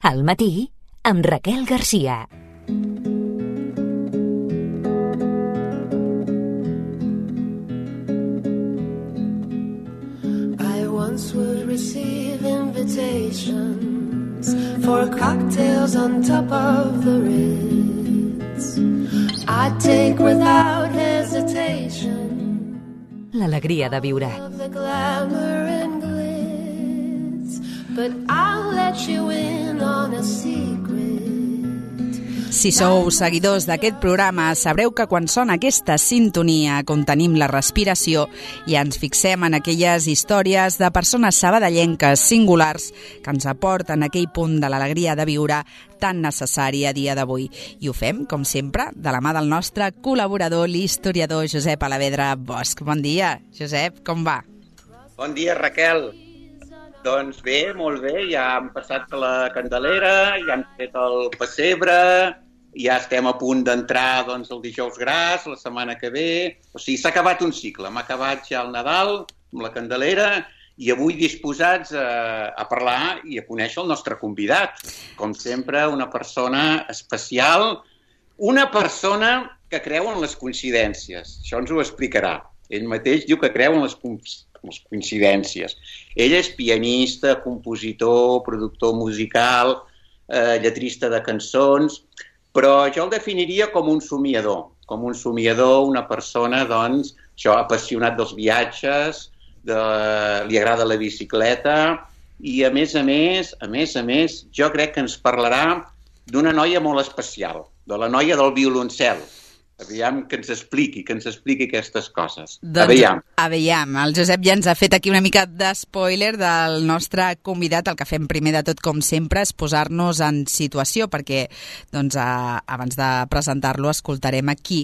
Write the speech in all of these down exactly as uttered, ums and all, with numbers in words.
Al matí, amb Raquel Garcia. I once would receive invitations for cocktails on top of the Ritz. I'd take without hesitation L'alegria de viure. the glamour and glitz, but I'll let you in on a secret. Si sou seguidors d'aquest programa, sabreu que quan sona aquesta sintonia contenim la respiració i ens fixem en aquelles històries de persones sabadellenques singulars que ens aporten aquell punt de l'alegria de viure tan necessari a dia d'avui. I ho fem, com sempre, de la mà del nostre col·laborador, l'historiador Josep Alavedra Bosch. Bon dia, Josep, com va? Bon dia, Raquel. Doncs bé, molt bé, ja hem passat la Candelera, ja hem fet el pessebre, ja estem a punt d'entrar doncs, el dijous gras, la setmana que ve. O sigui, s'ha acabat un cicle, hem acabat ja el Nadal amb la Candelera i avui disposats a, a parlar i a conèixer el nostre convidat. Com sempre, una persona especial, una persona que creu en les coincidències. Això ens ho explicarà. Ell mateix diu que creu en les coincidències. les coincidències. Ell és pianista, compositor, productor musical, eh, lletrista de cançons, però jo el definiria com un somiador, com un somiador, una persona, doncs, això, apassionat dels viatges, de, li agrada la bicicleta i, a més a més, a més a més, jo crec que ens parlarà d'una noia molt especial, de la noia del violoncel. Aviam que ens expliqui, que ens expliqui aquestes coses. Doncs, Aviam. Aviam. El Josep ja ens ha fet aquí una mica d'espoiler del nostre convidat. El que fem primer de tot, com sempre, és posar-nos en situació, perquè doncs, a, abans de presentar-lo escoltarem aquí.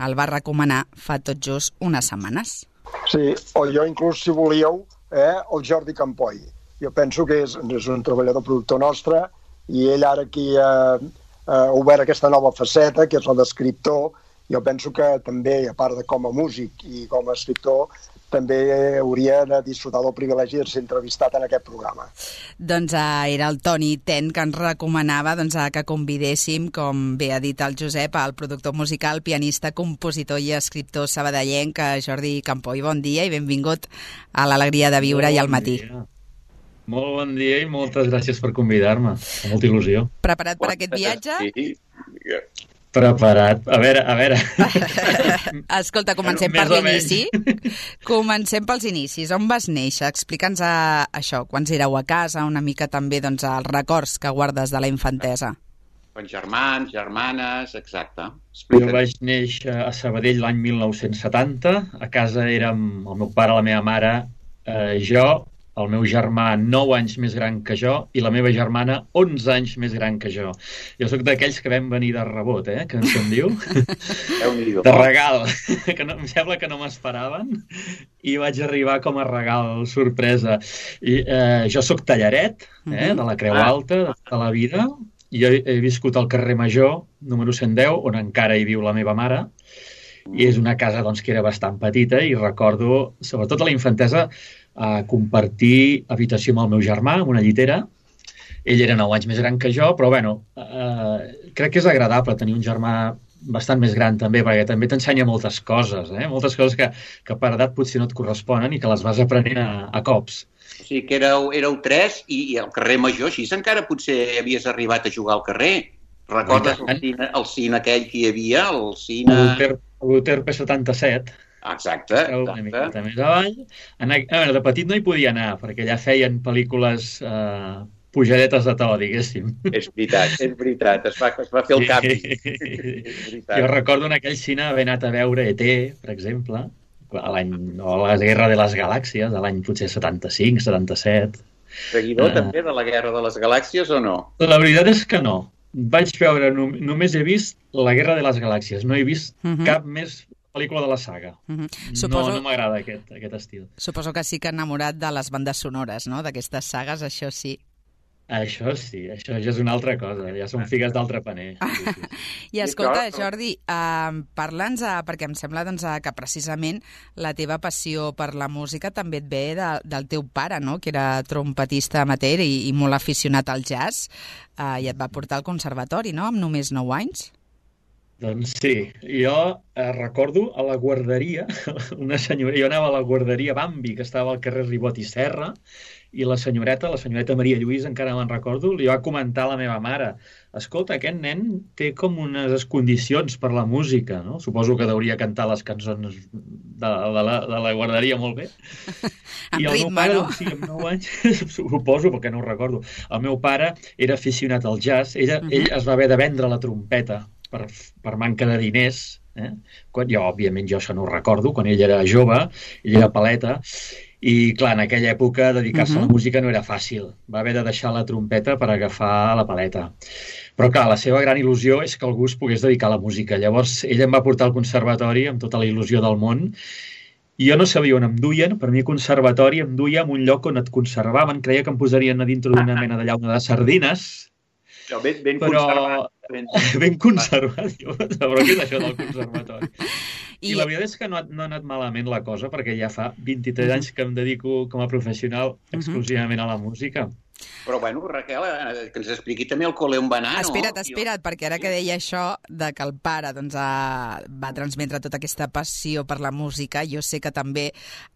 El va recomanar fa tot just unes setmanes. Sí, o jo inclús, si volíeu, eh, el Jordi Campoy. Jo penso que és, és un treballador productor nostre i ell ara aquí ha, ha obert aquesta nova faceta, que és la d'escriptor. Jo penso que també, a part de com a músic i com a escriptor, també hauria de disfrutar del privilegi de ser entrevistat en aquest programa. Doncs eh, era el Toni Ten que ens recomanava doncs, que convidéssim, com bé ha dit el Josep, el productor musical, pianista, compositor i escriptor sabadellenc, Jordi Campoy. Bon dia i benvingut a l'Alegria de Viure bon i al matí. Dia. Molt bon dia i moltes gràcies per convidar-me. Amb molta il·lusió. Preparat per aquest viatge? Sí. Preparat. A veure, a veure. Escolta, comencem per l'inici. Comencem pels inicis. On vas néixer? Explica'ns a, això, quants éreu a casa, una mica també doncs, els records que guardes de la infantesa. Quants germans, germanes, exacte. Jo vaig néixer a Sabadell l'any mil nou-cents setanta. A casa érem el meu pare, la meva mare, eh, jo, el meu germà nou anys més gran que jo i la meva germana onze anys més gran que jo. Jo sóc d'aquells que vam venir de rebot, eh? Que se'n diu? De regal, que no, em sembla que no m'esperaven i vaig arribar com a regal sorpresa. I, eh, jo sóc tallaret, eh? De la Creu Alta, de tota la vida. Jo he, he viscut al carrer Major, número cent deu, on encara hi viu la meva mare. I és una casa doncs, que era bastant petita i recordo, sobretot a la infantesa, a compartir habitació amb el meu germà, amb una llitera. Ell era nou anys més gran que jo, però bueno, eh, crec que és agradable tenir un germà bastant més gran també, perquè també t'ensenya moltes coses, eh? Moltes coses que, que per edat potser no et corresponen i que les vas aprenent a, a cops. O sigui que éreu, éreu tres i, i al carrer Major, així encara potser havies arribat a jugar al carrer. Recordes el cine, el cine aquell que hi havia? El cine... L'Hotel P setanta-set. Exacte, exacte. Una miqueta més avall. Anar, a veure, de petit no hi podia anar, perquè allà feien pel·lícules eh, pujadetes de to, diguéssim. És veritat, és veritat, es va, es va fer el canvi. Jo recordo en aquell cine haver anat a veure E T, per exemple, a l'any, o a la Guerra de les Galàxies, a l'any potser setanta-cinc, setanta-set. Seguidor uh, també de la Guerra de les Galàxies o no? La veritat és que no. Vaig veure, no, només he vist la Guerra de les Galàxies, no he vist uh-huh. cap més pel·lícula de la saga. Uh-huh. Suposo... No, no m'agrada aquest, aquest estil. Suposo que sí que enamorat de les bandes sonores, no?, d'aquestes sagues, això sí. Això sí, això ja és una altra cosa, ja són figues d'altre paner. Sí, sí. I escolta, Jordi, eh, parla'ns, eh, perquè em sembla doncs, eh, que precisament la teva passió per la música també et ve de, del teu pare, no?, que era trompetista amateur i, i molt aficionat al jazz, eh, i et va portar al conservatori, no?, amb només nou anys. Doncs sí, jo eh, recordo a la guarderia, una senyora, jo anava a la guarderia Bambi, que estava al carrer Ribot i Serra, i la senyoreta, la senyoreta Maria Lluís, encara me'n recordo, li va comentar a la meva mare: escolta, aquest nen té com unes condicions per la música, no? Suposo que deuria cantar les cançons de, de, la, de la guarderia molt bé. En I el ritme, meu pare, no? doncs, sí, amb nou anys, suposo, perquè no ho recordo. El meu pare era aficionat al jazz, ell, uh-huh. ell es va haver de vendre la trompeta per, per manca de diners, eh? Quan, jo, òbviament, jo això no ho recordo, quan ell era jove, ell era paleta, i, clar, en aquella època dedicar-se uh-huh. a la música no era fàcil. Va haver de deixar la trompeta per agafar la paleta. Però, clar, la seva gran il·lusió és que algú es pogués dedicar a la música. Llavors, ell em va portar al conservatori amb tota la il·lusió del món, i jo no sabia on em duien. Per mi, conservatori em duia en un lloc on et conservaven. Creia que em posarien a dintre d'una mena de llauna de sardines. Però ben, ben però... conservat. Ben, ben conservat. Jo, però què és això del conservatori? I, I la veritat és que no ha, no ha anat malament la cosa, perquè ja fa vint-i-tres uh-huh. anys que em dedico com a professional exclusivament a la música. Però, bueno, Raquel, que ens expliqui també el col·le on va anar, no? Espera't, espera't, perquè ara que deia això de que el pare doncs, ha, va transmetre tota aquesta passió per la música, jo sé que també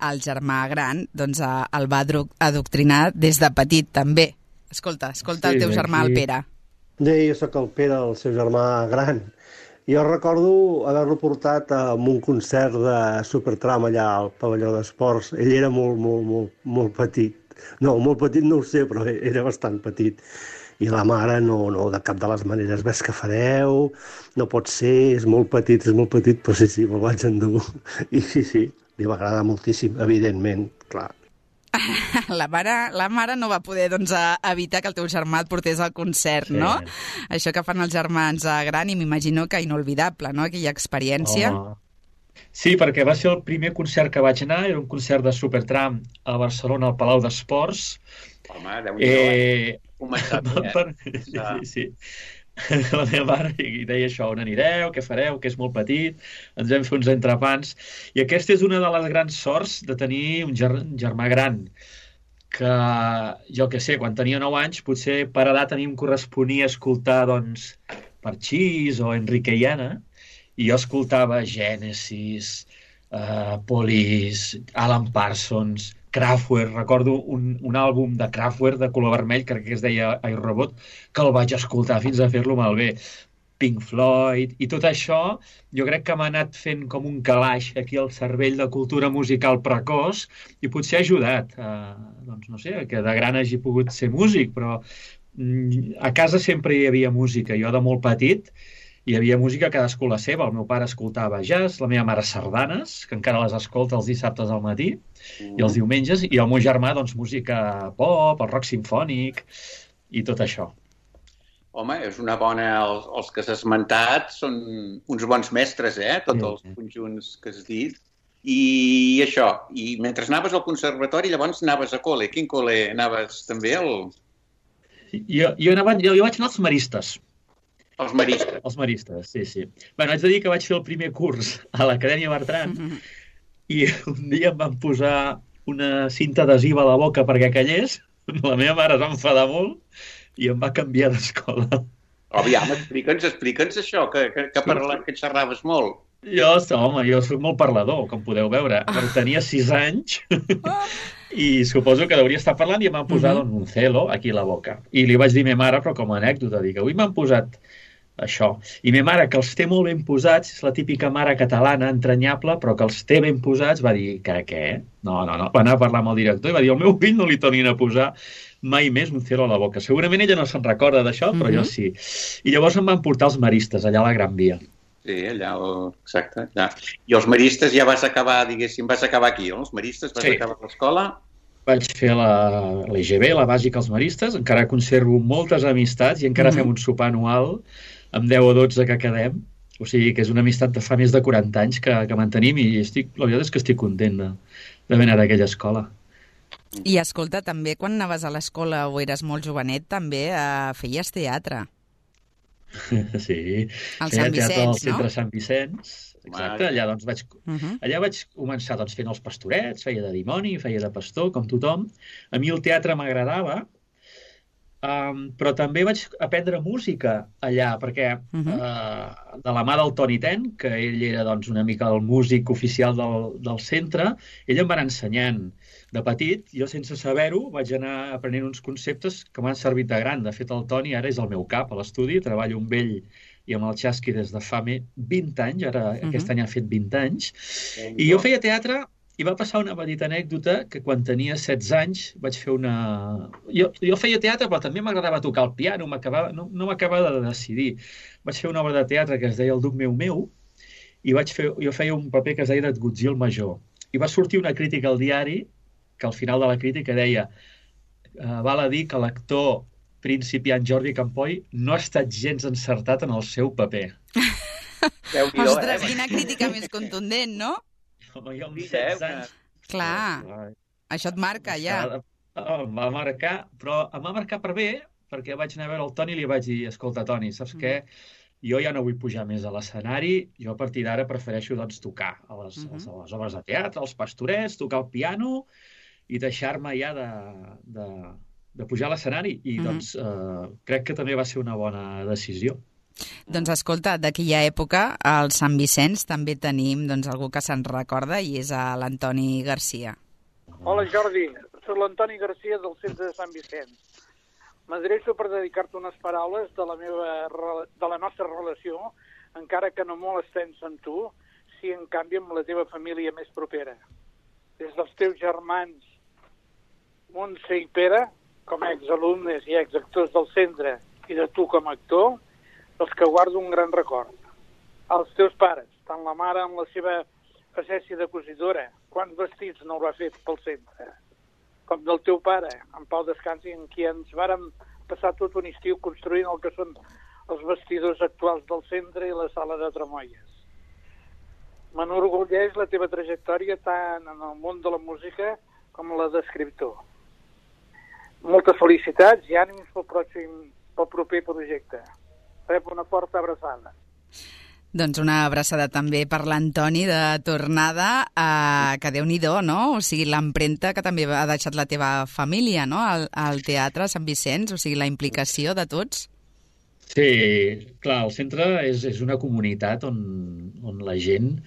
el germà gran doncs, el va adoctrinar des de petit, també. Escolta, escolta sí, el teu germà, sí. El Pere. Sí, jo sóc el Pere, el seu germà gran. Jo recordo haver-lo portat a un concert de Supertram allà al pavelló d'esports. Ell era molt, molt, molt, molt petit. No, molt petit no ho sé, però era bastant petit. I la mare, no, no, de cap de les maneres, ves que fareu, no pot ser, és molt petit, és molt petit, però sí, sí, me'l vaig endur. I sí, sí, li va agradar moltíssim, evidentment, clar. La mare, la mare no va poder doncs, evitar que el teu germà et portés al concert, sí. No? Això que fan els germans gran, i m'imagino que inolvidable, no?, aquella experiència. Oh. Sí, perquè va ser el primer concert que vaig anar, era un concert de Supertram a Barcelona, al Palau d'Esports. Home, Déu-n'hi-do, eh? Començat, eh? Per... Sí, sí, sí. La meva mare i deia això: on anireu, què fareu, que és molt petit, ens vam fer uns entrepans. I aquesta és una de les grans sorts de tenir un ger germà gran, que jo que sé, quan tenia nou anys, potser per edat a mi em corresponia escoltar doncs Parchís o Enrique i Ana, i jo escoltava Genesis, uh, Police, Alan Parsons, Kraftwerk. Recordo un, un àlbum de Kraftwerk de color vermell, crec que es deia iRobot, que el vaig escoltar fins a fer-lo malbé. Pink Floyd, i tot això jo crec que m'ha anat fent com un calaix aquí al cervell de cultura musical precoç, i potser ha ajudat a, doncs no sé, que de gran hagi pogut ser músic, però mm, a casa sempre hi havia música. Jo de molt petit hi havia música cadascú la seva. El meu pare escoltava jazz, la meva mare sardanes, que encara les escolta els dissabtes al matí mm. i els diumenges, i el meu germà doncs música pop, el rock simfònic i tot això. Home, és una bona... Els, els que s'ha esmentat són uns bons mestres, eh? Tots sí. Els conjunts que has dit. I això, i mentre anaves al conservatori, llavors anaves a col·le. Quin col·le anaves també? Al... Jo, jo, anava, jo, jo vaig anar als Maristes. Els Maristes. Els Maristes, sí, sí. Bé, haig de dir que vaig fer el primer curs a l'Acadèmia Bertran mm-hmm. i un dia em van posar una cinta adhesiva a la boca perquè callés. La meva mare es va enfadar molt i em va canviar d'escola. Aviam, explica'ns, explica'ns això, que, que, que, parla, que xerraves molt. Jo, home, jo soc molt parlador, com podeu veure. Però tenia sis anys i suposo que hauria estar parlant i em van posar uh-huh. un celo aquí a la boca. I li vaig dir a meva mare, però com a anècdota, dic, avui m'han posat això. I meva mare, que els té molt ben posats, és la típica mare catalana, entranyable, però que els té ben posats, va dir que què? No, no, no. Va anar a parlar amb el director i va dir, al meu fill no li tornin a posar mai més un celo a la boca. Segurament ella no se'n recorda d'això, però uh-huh. jo sí. I llavors em van portar els Maristes, allà a la Gran Via. Sí, allà, exacte. Allà. I els Maristes ja vas acabar, diguéssim, vas acabar aquí, no? Els Maristes, vas sí. acabar l'escola? Vaig fer la, la I G B, la bàsica als Maristes, encara conservo moltes amistats i encara uh-huh. fem un sopar anual amb deu o dotze que quedem. O sigui que és una amistat de fa més de quaranta anys que, que mantenim, i estic, la veritat és que estic content d'haver anat a aquella escola. I escolta, també quan anaves a l'escola o eres molt jovenet, també eh, feies teatre. Sí, Al feia Sant teatre Vicenç, al centre no? Sant Vicenç, exacte, allà doncs vaig, Uh -huh. allà vaig començar doncs, fent els pastorets, feia de dimoni, feia de pastor, com tothom. A mi el teatre m'agradava, um, però també vaig aprendre música allà, perquè Uh -huh. uh, de la mà del Toni Ten, que ell era doncs, una mica el músic oficial del, del centre, ell em va anar ensenyant. De petit, jo sense saber-ho, vaig anar aprenent uns conceptes que m'han servit de gran. De fet, el Toni ara és el meu cap a l'estudi, treballo amb ell i amb el Chasqui des de fa vint anys, ara uh -huh. aquest any ha fet vint anys, i jo feia teatre i va passar una petita anècdota que quan tenia setze anys vaig fer una... Jo, jo feia teatre, però també m'agradava tocar el piano, no, no m'acabava de decidir. Vaig fer una obra de teatre que es deia El duc meu meu, i vaig fer, jo feia un paper que es deia Edgutzí el major, i va sortir una crítica al diari que al final de la crítica deia uh, val a dir que l'actor principiant Jordi Campoy no ha estat gens encertat en el seu paper. Ostres, quina crítica més contundent, no? Home, jo amb setze anys... Clar, això et marca ja. Em va marcar, però em va marcar per bé, perquè vaig anar a veure el Toni i li vaig dir, escolta, Toni, saps què? Jo ja no vull pujar més a l'escenari, jo a partir d'ara prefereixo doncs, tocar a les, uh -huh. a les obres de teatre, als pastorets, tocar el piano i deixar-me ja de, de, de pujar a l'escenari. I uh -huh. doncs eh, crec que també va ser una bona decisió. Doncs escolta, d'aquella època, al Sant Vicenç també tenim doncs, algú que se'n recorda i és l'Antoni Garcia. Hola Jordi, soc l'Antoni Garcia del centre de Sant Vicenç. M'adreço per dedicar-te unes paraules de la, meva, de la nostra relació, encara que no molt extensa amb tu, si en canvi amb la teva família més propera. Des dels teus germans Montse i Pere, com a exalumnes i exactors del centre, i de tu com a actor, els que guardo un gran record. Els teus pares, tant la mare amb la seva facència de cosidora, quants vestits no ho ha fet pel centre, com del teu pare, en Pau Descansi, en qui ens vàrem passar tot un estiu construint el que són els vestidors actuals del centre i la sala de Tremoies. M'enorgulleix la teva trajectòria tant en el món de la música com la d'escriptor. Moltes felicitats i ànims pel pròxim, pel proper projecte. Rep una forta abraçada. Doncs una abraçada també per l'Antoni de tornada, eh, que Déu-n'hi-do, no? O sigui, l'empremta que també ha deixat la teva família, no? Al, al teatre Sant Vicenç, o sigui, la implicació de tots. Sí, clar, el centre és, és una comunitat on, on la gent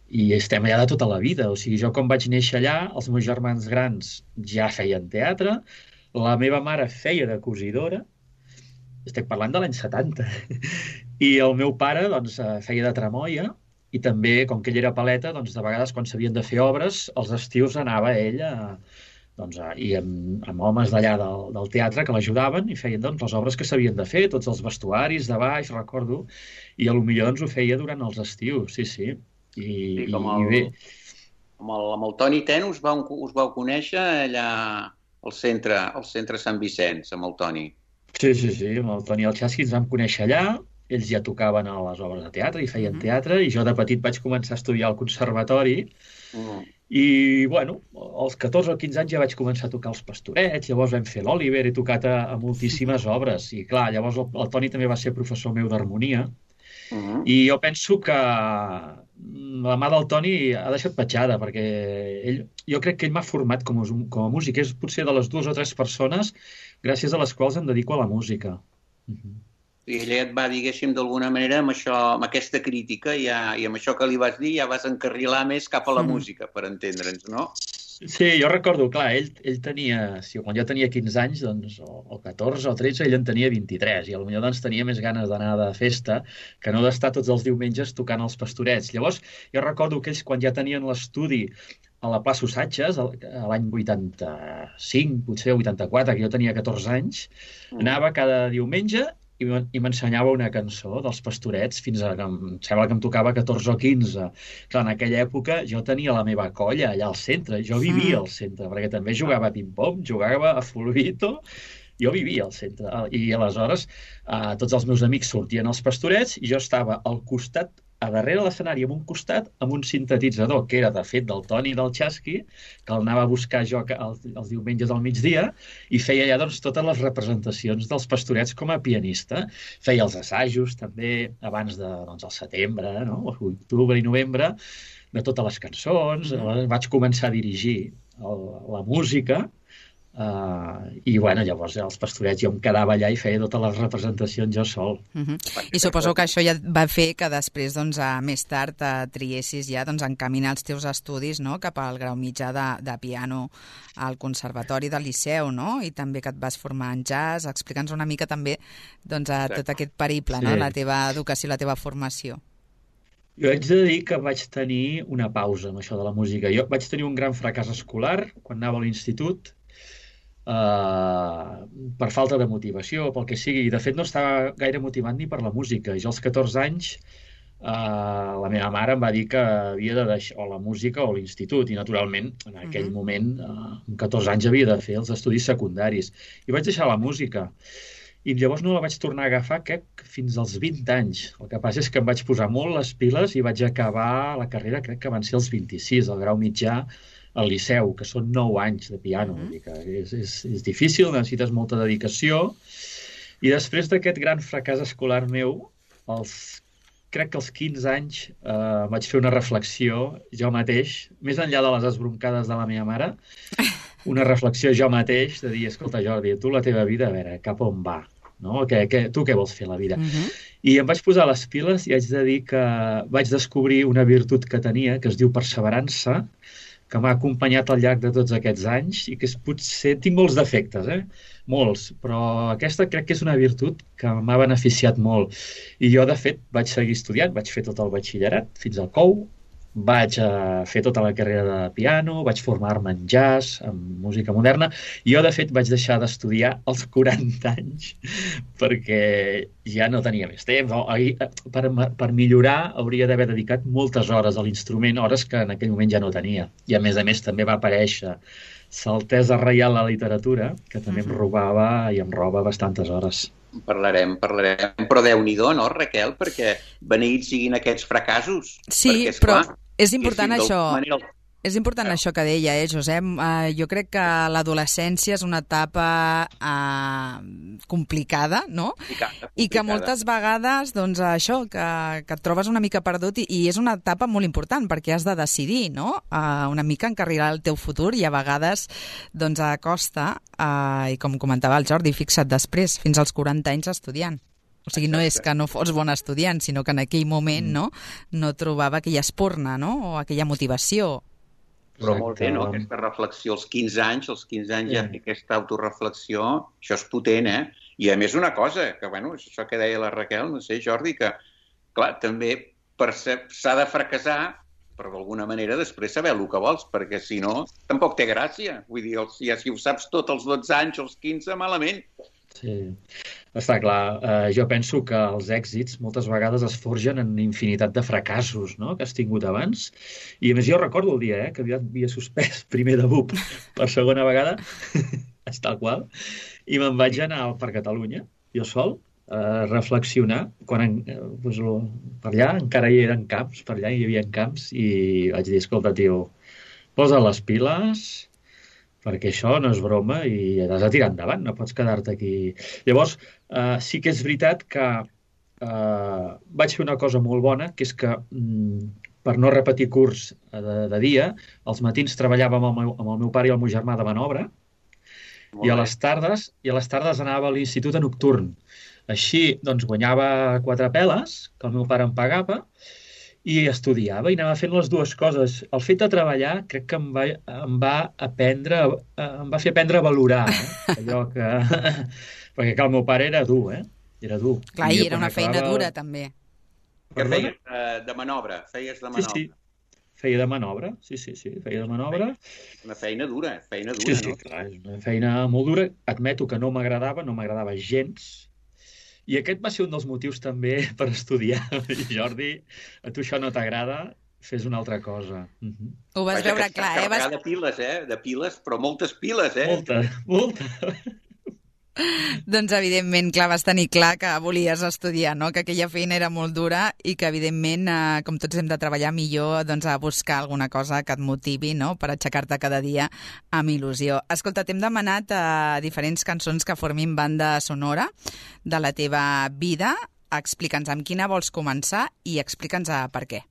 i estem allà de tota la vida. O sigui, jo quan vaig néixer allà, els meus germans grans ja feien teatre, la meva mare feia de cosidora, estic parlant de l'any setanta, i el meu pare doncs, feia de tramoia, i també, com que ell era paleta, doncs, de vegades quan s'havien de fer obres, els estius anava ell a, doncs, a, i amb, amb homes d'allà del, del teatre que l'ajudaven i feien doncs, les obres que s'havien de fer, tots els vestuaris de baix, recordo, i potser doncs, ho feia durant els estius, sí, sí. I, sí, com i, el, i bé. Amb el, amb el Toni Ten us vau, us vau conèixer allà al centre, al centre Sant Vicenç, amb el Toni. Sí, sí, sí, amb el Toni i el Chasqui ens vam conèixer allà, ells ja tocaven a les obres de teatre i feien mm-hmm. teatre, i jo de petit vaig començar a estudiar al conservatori, mm. i, bueno, als catorze o quinze anys ja vaig començar a tocar els pastorets, llavors vam fer l'Oliver, he tocat a, a moltíssimes obres, i clar, llavors el, el Toni també va ser professor meu d'harmonia, mm-hmm. i jo penso que la mà del Toni ha deixat petjada, perquè ell, jo crec que ell m'ha format com a, com a músic, és potser de les dues o tres persones gràcies a les quals em dedico a la música. Uh-huh. I ella et va, diguéssim, d'alguna manera, amb, això, amb aquesta crítica ja, i amb això que li vas dir, ja vas encarrilar més cap a la sí. música, per entendre'ns, no? Sí, jo recordo, clar, ell, ell tenia, si, quan jo tenia quinze anys, doncs, o, o catorze o tretze, ell en tenia vint-i-tres, i potser doncs, tenia més ganes d'anar de festa que no d'estar tots els diumenges tocant els pastorets. Llavors, jo recordo que ells, quan ja tenien l'estudi a la plaça Ossatges, l'any vuitanta-cinc, potser vuitanta-quatre, que jo tenia catorze anys, mm. anava cada diumenge i m'ensenyava una cançó dels pastorets fins a que em sembla que em tocava catorze o quinze. Clar, en aquella època jo tenia la meva colla allà al centre, jo vivia al centre, perquè també jugava a ping-pong, jugava a fulbito, jo vivia al centre. I aleshores eh, tots els meus amics sortien als pastorets i jo estava al costat a darrere l'escenari, en un costat, amb un sintetitzador, que era, de fet, del Toni del Chasqui, que el anava a buscar jo els, els diumenges al migdia, i feia ja doncs, totes les representacions dels Pastorets com a pianista. Feia els assajos, també, abans de, doncs, el setembre, no? Octubre i novembre, de totes les cançons. Mm. Vaig començar a dirigir el, la música, Uh, i bueno, llavors els Pastorets jo em quedava allà i feia totes les representacions jo sol. Uh -huh. I suposo que això ja va fer que després, doncs, a, més tard, a, triessis ja doncs, encaminar els teus estudis, no?, cap al grau mitjà de, de piano al Conservatori del Liceu, no?, i també que et vas formar en jazz. Explica'ns una mica també, doncs, a tot aquest periple, sí, no?, la teva educació, la teva formació. Jo haig de dir que vaig tenir una pausa amb això de la música. Jo vaig tenir un gran fracàs escolar quan anava a l'institut, Uh, per falta de motivació, pel que sigui. De fet, no estava gaire motivat ni per la música. Jo als catorze anys uh, la meva mare em va dir que havia de deixar o la música o l'institut, i naturalment en aquell uh-huh. moment, uh, amb catorze anys, havia de fer els estudis secundaris. I vaig deixar la música. I llavors no la vaig tornar a agafar, crec, fins als vint anys. El que passa és que em vaig posar molt les piles i vaig acabar la carrera, crec que van ser els vint-i-sis, el grau mitjà, al Liceu, que són nou anys de piano. Mm-hmm. Vull dir que és, és, és difícil, necessites molta dedicació. I després d'aquest gran fracàs escolar meu, els, crec que als quinze anys eh, vaig fer una reflexió jo mateix, més enllà de les esbroncades de la meva mare, una reflexió jo mateix de dir, escolta, Jordi, tu la teva vida, a veure, cap on va? No? Que, que, tu què vols fer a la vida? Mm-hmm. I em vaig posar les piles i haig de dir que vaig descobrir una virtut que tenia, que es diu perseverança, que m'ha acompanyat al llarg de tots aquests anys i que és, potser tinc molts defectes, eh? Molts, però aquesta crec que és una virtut que m'ha beneficiat molt. I jo, de fet, vaig seguir estudiant, vaig fer tot el batxillerat fins al C O U, vaig uh, fer tota la carrera de piano, vaig formar-me en jazz, en música moderna, i jo, de fet, vaig deixar d'estudiar als quaranta anys perquè ja no tenia més temps. Per, per millorar hauria d'haver dedicat moltes hores a l'instrument, hores que en aquell moment ja no tenia. I, a més a més, també va aparèixer S'Altesa Reial la Literatura, que també em robava i em roba bastantes hores. Parlarem, parlarem. Però Déu-n'hi-do, no, Raquel? Perquè beneïts siguin aquests fracassos. Sí, perquè, però clar, és important això. Manera... És important ah. això que deia, eh, Josep? Uh, jo crec que l'adolescència és una etapa uh, complicada, no? Complicada, complicada. I que moltes vegades, doncs, això, que, que et trobes una mica perdut i, i és una etapa molt important perquè has de decidir, no? Uh, una mica encarrilar el teu futur i a vegades, doncs, a costa, uh, i com comentava el Jordi, fixa't després, fins als quaranta anys estudiant. O sigui, no és que no fos bon estudiant, sinó que en aquell moment, mm. no, no trobava aquella espurna, no?, o aquella motivació. Però molt bé, no?, aquesta reflexió als quinze anys, als quinze anys ja fer aquesta autoreflexió, això és potent, eh? I a més una cosa, que bueno, això que deia la Raquel, no sé, Jordi, que clar, també s'ha de fracassar, però d'alguna manera després saber el que vols, perquè si no, tampoc té gràcia. Vull dir, ja si ho saps tot als dotze anys, als quinze, malament. Sí, està clar. Uh, jo penso que els èxits moltes vegades es forgen en infinitat de fracassos, no?, que has tingut abans. I a més jo recordo el dia eh, que havia suspès primer de B U P per segona vegada, és tal qual, i me'n vaig anar per Catalunya, jo sol, a reflexionar. Quan en, doncs, per allà encara hi eren camps, per allà hi havia camps, i vaig dir, escolta, tio, posa les piles... perquè això no és broma i has de tirar endavant, no pots quedar-te aquí. Llavors, eh, sí que és veritat que eh, vaig fer una cosa molt bona, que és que, mm, per no repetir curs de, de dia, als matins treballava amb el, meu, amb el meu pare i el meu germà de manobra, i a les tardes i a les tardes anava a l'institut a nocturn. Així, doncs, guanyava quatre peles, que el meu pare em pagava, i estudiava i anava fent les dues coses. El fet de treballar crec que em va, em va aprendre, em va fer aprendre a valorar, eh? Allò que... perquè clar, el meu pare era dur, eh? Era dur. Clar, i, i era una acabava... feina dura, també. Què feies de, de manobra? Feies de manobra? Sí, sí. Feia de manobra, sí, sí, sí. Feia de manobra. Una feina dura, feina dura, sí, sí, no? Sí, clar, és una feina molt dura. Admeto que no m'agradava, no m'agradava gens. I aquest va ser un dels motius també per estudiar. Jordi, a tu això no t'agrada, fes una altra cosa. Uh-huh. Ho vas Vaja, veure clar, eh? Vas... de piles, eh? De piles, però moltes piles, eh? Molta, molta. Doncs, evidentment, clar, vas tenir clar que volies estudiar, no? Que aquella feina era molt dura i que, evidentment, eh, com tots hem de treballar millor, doncs, a buscar alguna cosa que et motivi, no?, per aixecar-te cada dia amb il·lusió. Escolta, t'hem demanat eh, diferents cançons que formin banda sonora de la teva vida. Explica'ns amb quina vols començar i explica'ns eh, per què.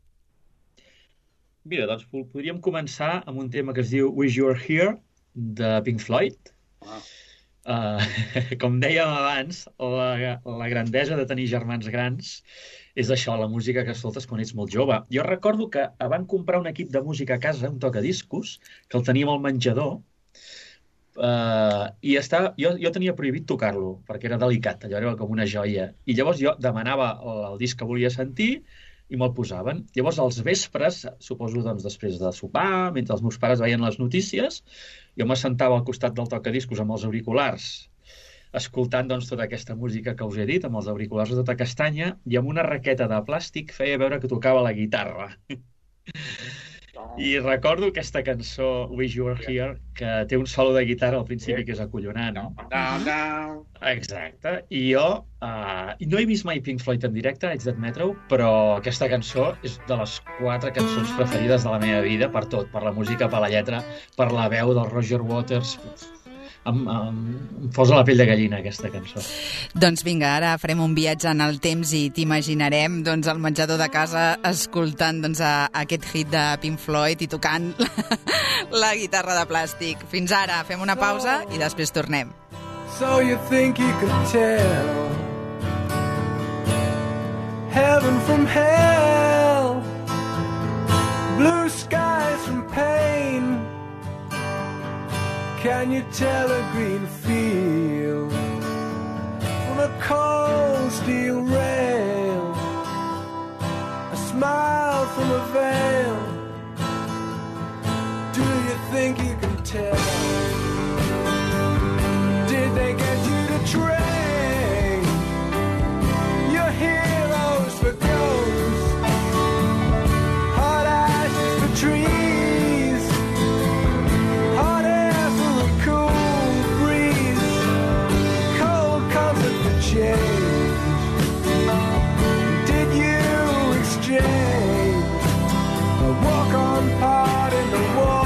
Mira, doncs podríem començar amb un tema que es diu Wish You Were Here, de Pink Floyd. Ah. Uh, com dèiem abans, la, la grandesa de tenir germans grans és això, la música que escoltes quan ets molt jove. Jo recordo que van comprar un equip de música a casa, un tocadiscos, que el teníem al menjador, uh, i estava, jo, jo tenia prohibit tocar-lo, perquè era delicat, allò era com una joia. I llavors jo demanava el, el disc que volia sentir i me'l posaven. Llavors, als vespres, suposo doncs, després de sopar, mentre els meus pares veien les notícies, jo m'assentava al costat del tocadiscos amb els auriculars, escoltant doncs, tota aquesta música que us he dit, amb els auriculars de tota castanya, i amb una raqueta de plàstic feia veure que tocava la guitarra. I recordo aquesta cançó, Wish You Were Here, que té un solo de guitarra al principi que és acollonant. Down, down. Exacte. I jo uh, no he vist mai Pink Floyd en directe, haig d'admetre-ho, però aquesta cançó és de les quatre cançons preferides de la meva vida, per tot, per la música, per la lletra, per la veu del Roger Waters. Em, em, em posa la pell de gallina, aquesta cançó. Doncs vinga, ara farem un viatge en el temps i t'imaginarem doncs, al menjador de casa escoltant doncs, a, a aquest hit de Pink Floyd i tocant la, la guitarra de plàstic. Fins ara, fem una pausa i després tornem. So you think you could tell heaven from hell, blue skies from pain. Can you tell a green field from a cold steel rail, a smile from a veil? Do you think you can tell? Did they get you to trade your heroes for ghosts, hot ashes for trees, hot air for a cool breeze, cold comfort for change? Did you exchange a walk-on part in the wall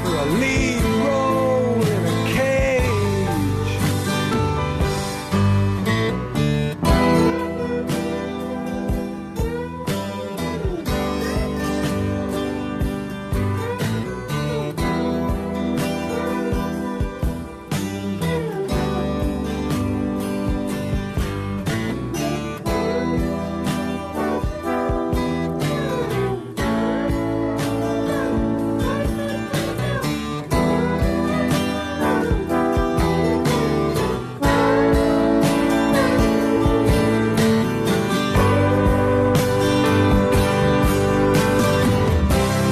for a lead role in a cage?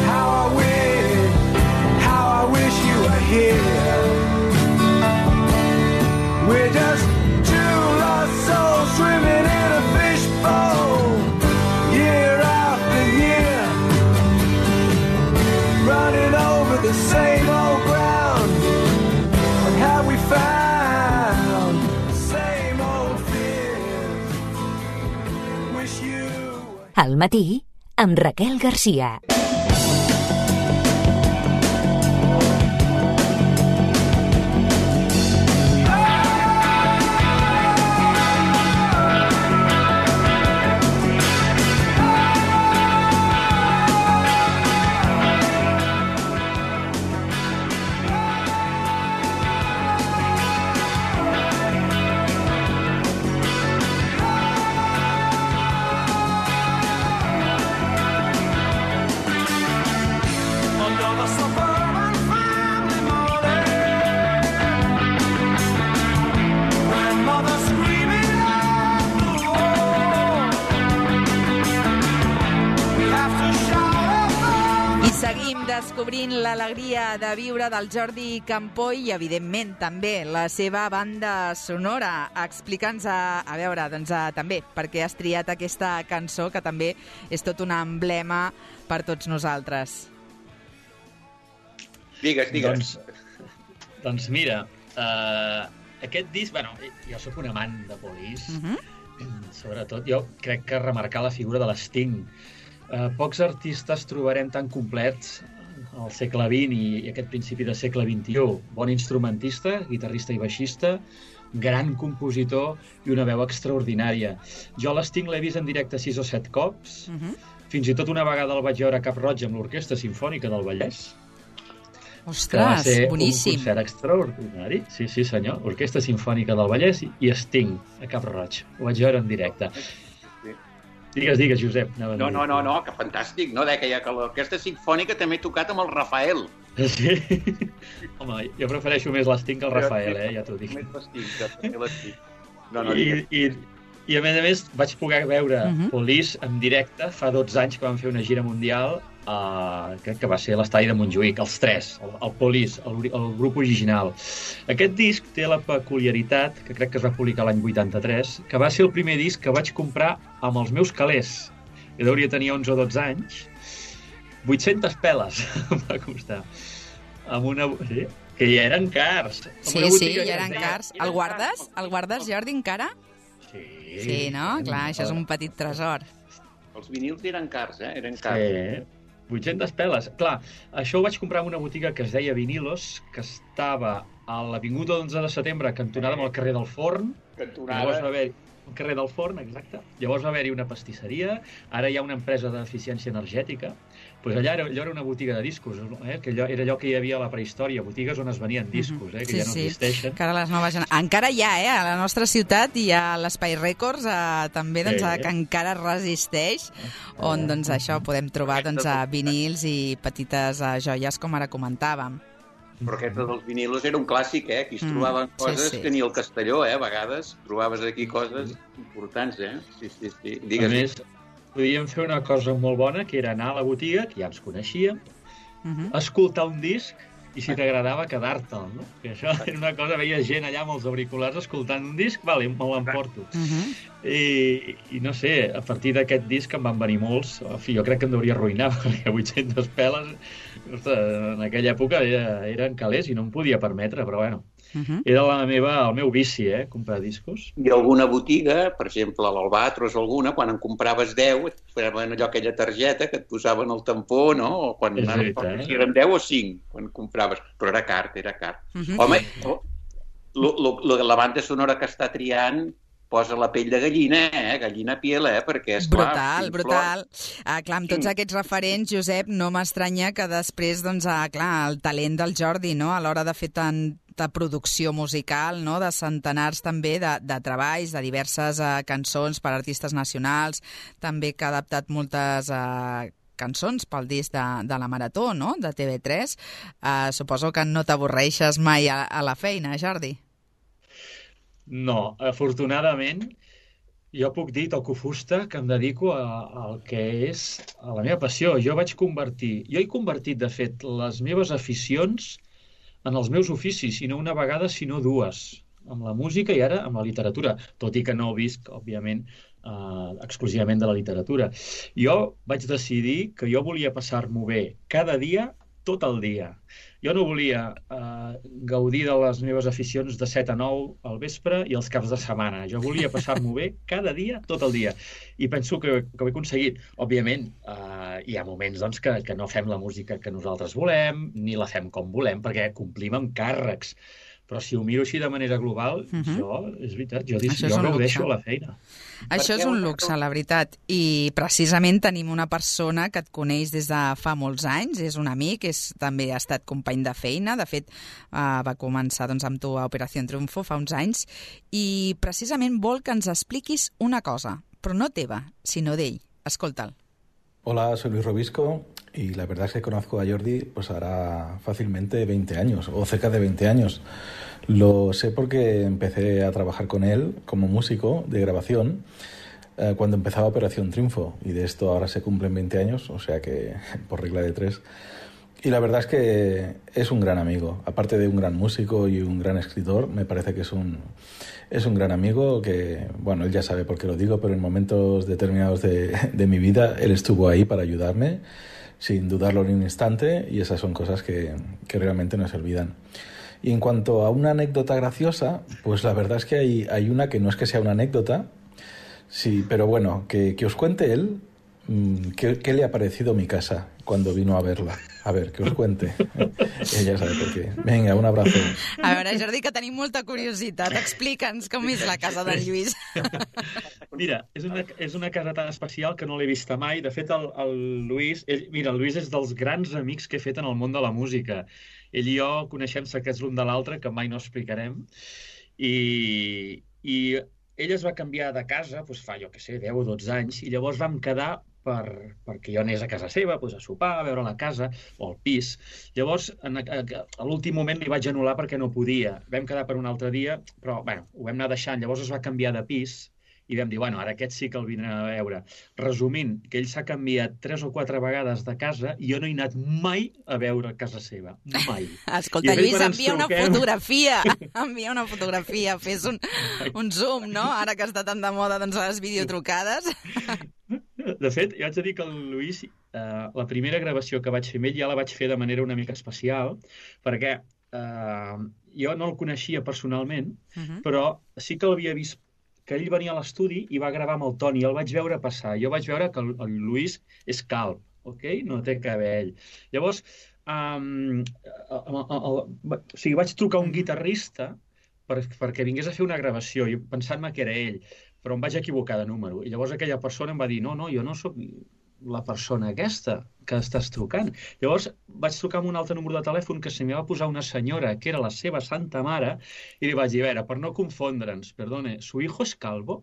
How I wish, how I wish you were here. We're just two lost souls swimming in a fishbowl, year after year, running over the same old ground. And have we found the same old fears? Wish you were Al matí, amb Raquel Garcia. under the suburban family morning, grandmother screaming at the wall. We have to shout out. I seguim descobrint l'alegria de viure del Jordi Campoy i, evidentment, també la seva banda sonora. Explica'ns, a, a veure, doncs, a, també, per què has triat aquesta cançó, que també és tot un emblema per tots nosaltres. Digues, digues. Doncs, doncs mira, uh, aquest disc, bueno, jo sóc un amant de Police, Uh -huh. sobretot jo crec que remarcar la figura de l'Sting. Eh, pocs artistes trobarem tan complets al segle vint i, i aquest principi del segle vint-i-u. Bon instrumentista, guitarrista i baixista, gran compositor i una veu extraordinària. Jo l'Sting l'he vist en directe sis o set cops, Uh -huh. fins i tot una vegada el vaig veure a Cap Roig amb l'Orquestra Simfònica del Vallès. Ostres, que va ser boníssim. un concert extraordinari. Sí, sí, senyor. Orquestra Simfònica del Vallès i Sting, a Cap Roig. Ho vaig veure en directe. Sí. Digues, digues, Josep. No, no, no, no, que fantàstic, no? Deia que l'Orquestra Simfònica també he tocat amb el Rafael. Sí? Home, jo prefereixo més l'Sting que el Rafael, eh? Ja t'ho dic. Més l'Sting, que l'Sting. No, no, I, i, I a més a més vaig poder veure Uh -huh. Police en directe fa dotze anys que van fer una gira mundial, uh, crec que va ser a l'estadi de Montjuïc, els tres, el, el Police, el, el grup original. Aquest disc té la peculiaritat, que crec que es va publicar l'any vuitanta-tres, que va ser el primer disc que vaig comprar amb els meus calés. Jo hauria tenir onze o dotze anys. vuit-centes peles em va costar. Amb una... Sí? Que ja eren cars. Amb Sí, una sí, botiga ja que eren es deia- cars. El guardes? El guardes, Jordi, encara? Sí. Sí, no? Clar, això és un petit tresor. Els vinils eren cars, eh? Eren cars. Sí, vuit-centes peles. Clar, això ho vaig comprar en una botiga que es deia Vinilos, que estava a l'Avinguda onze de setembre, cantonada amb el carrer del Forn. Cantonada. Llavors va haver el carrer del Forn, exacte. Llavors va haver-hi una pastisseria, ara hi ha una empresa d'eficiència energètica. Pues allà era, allò era una botiga de discos, eh? Que allò, era allò que hi havia a la prehistòria, botigues on es venien discos, eh? Que Sí, ja no sí. existeixen. Que ara les noves gener- Encara hi ha, eh? A la nostra ciutat hi ha l'Espai Records, eh, també, doncs, Sí. eh, que encara resisteix, on, doncs, això, podem trobar, doncs, eh, vinils i petites eh, joies, com ara comentàvem. Però aquest dels vinilos era un clàssic, eh? Aquí es Mm, trobaven sí, coses sí. que ni el Castelló, eh? A vegades trobaves aquí coses importants, eh? Sí, sí, sí. Digues. A més, podíem fer una cosa molt bona, que era anar a la botiga, que ja ens coneixíem, Uh -huh. escoltar un disc i si t'agradava quedar-te'l, no? Que això era una cosa, veia gent allà amb els auriculars escoltant un disc, vale, me l'emporto. Uh -huh. I, I no sé, a partir d'aquest disc em van venir molts, en fi, jo crec que em hauria arruïnar, perquè vuit-centes peles, ostres, en aquella època era, eren calés i no em podia permetre, però bueno, Uh -huh. era la meva, el meu vici, eh, comprar discos. I alguna botiga, per exemple, a l'Albatros o alguna, quan en compraves deu, et posaven allò, aquella targeta que et posaven el tampó, no? O quan És anaves, veritat. si eren deu o cinc, quan compraves. Però era car, era car. Uh -huh. Home, lo, lo, lo, la banda sonora que està triant posa la pell de gallina, eh? Gallina a piel, eh? Perquè, és clar... Brutal, Pink brutal. Ah, clar, amb tots aquests referents, Josep, no m'estranya que després, doncs, ah, clar, el talent del Jordi, no?, a l'hora de fer tanta producció musical, no?, de centenars també de, de treballs, de diverses uh, cançons per artistes nacionals, també que ha adaptat moltes... Uh, cançons pel disc de, de la Marató, no?, de T V tres. Uh, suposo que no t'avorreixes mai a, a la feina, Jordi. No, afortunadament, jo puc dir, toco fusta, que em dedico a- al que és a la meva passió. Jo vaig convertir, jo he convertit, de fet, les meves aficions en els meus oficis, i no una vegada, sinó dues, amb la música i ara amb la literatura, tot i que no visc, òbviament, eh, exclusivament de la literatura. Jo vaig decidir que jo volia passar-m'ho bé cada dia, tot el dia. Jo no volia eh, gaudir de les meves aficions de set a nou al vespre i els caps de setmana. Jo volia passar-m'ho bé cada dia, tot el dia. I penso que, que ho he aconseguit. Òbviament, eh, hi ha moments doncs, que, que no fem la música que nosaltres volem, ni la fem com volem, perquè complim amb càrrecs. Però si ho miro així de manera global, Mhm. jo, és veritat, jo, dis, Això és jo un gaudeixo luxe. la feina. Això què és un una luxe, cosa- la veritat. I precisament tenim una persona que et coneix des de fa molts anys, és un amic, és, també ha estat company de feina, de fet uh, va començar doncs, amb tu a Operació Triunfo fa uns anys, i precisament vol que ens expliquis una cosa, però no teva, sinó d'ell. Escolta'l. Hola, soy Luis Robisco y la verdad es que conozco a Jordi pues hará fácilmente veinte años o cerca de veinte años. Lo sé porque empecé a trabajar con él como músico de grabación eh, cuando empezaba Operación Triunfo, y de esto ahora se cumplen veinte años, o sea que por regla de tres. Y la verdad es que es un gran amigo, aparte de un gran músico y un gran escritor, me parece que es un, es un gran amigo que, bueno, él ya sabe por qué lo digo, pero en momentos determinados de, de mi vida él estuvo ahí para ayudarme, sin dudarlo ni un instante, y esas son cosas que, que realmente no se olvidan. Y en cuanto a una anécdota graciosa, pues la verdad es que hay, hay una que no es que sea una anécdota, sí, pero bueno, que, que os cuente él mmm, qué, qué le ha parecido mi casa cuando vino a verla. A ver, que us cuente. Ella sabe per què. Vinga, un abrazo. A veure, Jordi, que tenim molta curiositat. Explica'ns com és la casa d'en Lluís. Mira, és una, és una casa tan especial que no l'he vista mai. De fet, el, el Lluís... Ell, mira, el Lluís és dels grans amics que he fet en el món de la música. Ell i jo coneixem secrets l'un de l'altre, que mai no explicarem. I, i ell es va canviar de casa, doncs fa, jo què sé, deu o dotze anys, i llavors vam quedar per, perquè jo anés a casa seva, doncs a sopar, a veure la casa o el pis. Llavors, en, a, a l'últim moment li vaig anul·lar perquè no podia. Vam quedar per un altre dia, però bueno, ho vam anar deixant. Llavors es va canviar de pis i vam dir, bueno, ara aquest sí que el vindrem a veure. Resumint, que ell s'ha canviat tres o quatre vegades de casa i jo no he anat mai a veure casa seva. Mai. Escolta, Lluís, envia una fotografia. Envia una fotografia. Fes un, un zoom, no? Ara que està tan de moda doncs, les videotrucades. De fet, jo haig de dir que el Lluís, eh, la primera gravació que vaig fer amb ell ja la vaig fer de manera una mica especial, perquè eh, jo no el coneixia personalment, uh-huh. però sí que l'havia vist que ell venia a l'estudi i va gravar amb el Toni, el vaig veure passar. Jo vaig veure que el, el Lluís és calb, ok? No té cabell. Llavors, um, el, el, el, o sigui, vaig trucar a un guitarrista per, perquè vingués a fer una gravació, pensant-me que era ell, però em vaig equivocar de número. I llavors aquella persona em va dir, no, no, jo no sóc la persona aquesta que estàs trucant. Llavors vaig trucar amb un altre número de telèfon que se m'hi va posar una senyora que era la seva santa mare i li vaig dir, a veure, per no confondre'ns, perdone, ¿su hijo es calvo?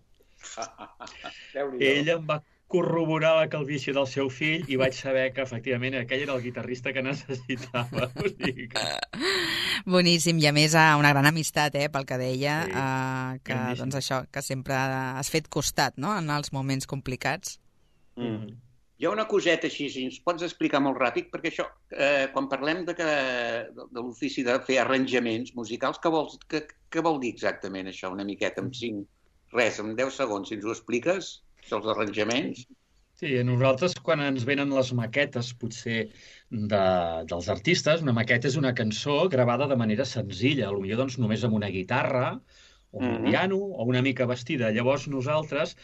Ella em va corroborar la calvície del seu fill i vaig saber que efectivament aquell era el guitarrista que necessitava. O sigui que... Boníssim, i a més una gran amistat, eh, pel que deia, sí, eh, que, doncs això, que sempre has fet costat, no?, en els moments complicats. Mm. Hi ha una coseta així, si ens pots explicar molt ràpid, perquè això, eh, quan parlem de, que, de, de l'ofici de fer arranjaments musicals, què, vols, què, què vol dir exactament això, una miqueta, amb cinc, res, en deu segons, si ens ho expliques, els arranjaments? Sí, nosaltres quan ens venen les maquetes, potser, de, dels artistes, una maqueta és una cançó gravada de manera senzilla, potser doncs, només amb una guitarra, o un mm-hmm. piano, o una mica vestida. Llavors nosaltres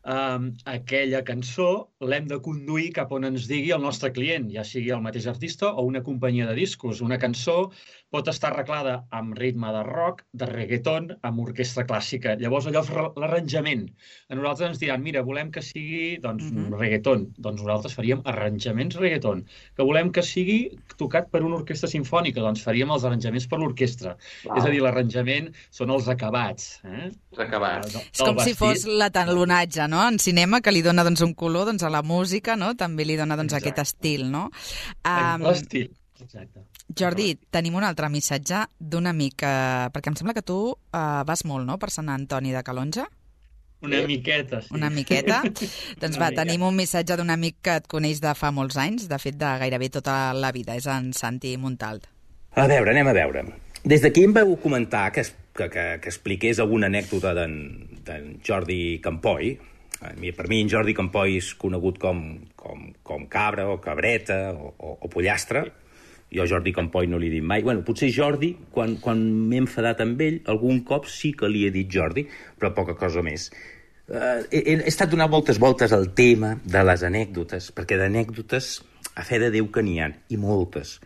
Um, aquella cançó l'hem de conduir cap on ens digui el nostre client, ja sigui el mateix artista o una companyia de discos. Una cançó pot estar arreglada amb ritme de rock, de reggaeton, amb orquestra clàssica. Llavors allò és l'arranjament. A nosaltres ens diran, mira, volem que sigui doncs, mm-hmm. reggaeton. Doncs nosaltres faríem arranjaments reggaeton. Que volem que sigui tocat per una orquestra simfònica, doncs faríem els arranjaments per l'orquestra. Wow. És a dir, l'arranjament són els acabats. Eh? Els acabats. És com vestit. Si fos l'atalonatge, no? En cinema, que li dona doncs, un color doncs, a la música, no? També li dona doncs, aquest estil, no? Um, L'estil, exacte. Jordi, tenim un altre missatge d'un amic, eh, perquè em sembla que tu eh, vas molt, no?, per Sant Antoni de Calonge? Una miqueta, sí. Una miqueta? Doncs va, tenim un missatge d'un amic que et coneix de fa molts anys, de fet de gairebé tota la vida, és en Santi Montalt. A veure, anem a veure. Des d'aquí em vau comentar que, que, que, que expliqués alguna anècdota d'en Jordi Campoy. Per mi en Jordi Campoy és conegut com, com, com cabra o cabreta o, o, o pollastre. Jo Jordi Campoy no li he dit mai. Bueno, potser Jordi, quan, quan m'he enfadat amb ell, algun cop sí que li he dit Jordi, però poca cosa més. Uh, he, he estat donant moltes voltes al tema de les anècdotes, perquè d'anècdotes a fe de Déu que n'hi ha, i moltes.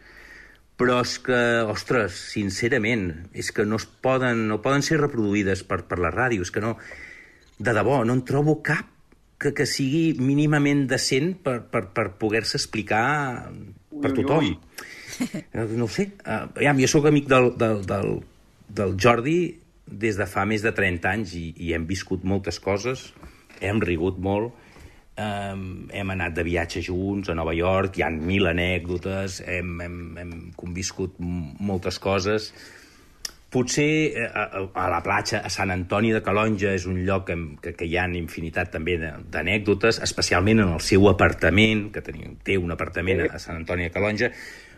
Però és que, ostres, sincerament, és que no es poden, no poden ser reproduïdes per, per la ràdio, és que no... De debò, no en trobo cap que, que sigui mínimament decent per, per, per poder-se explicar per tothom. No ho sé. Uh, jo sóc amic del, del, del, del Jordi des de fa més de trenta anys i, i hem viscut moltes coses, hem rigut molt, um, hem anat de viatge junts a Nova York, hi ha mil anècdotes, hem, hem, hem conviscut moltes coses. Potser a, a la platja, a Sant Antoni de Calonge, és un lloc que, que, que hi ha infinitat també d'anècdotes, especialment en el seu apartament, que tenia, té un apartament a Sant Antoni de Calonge.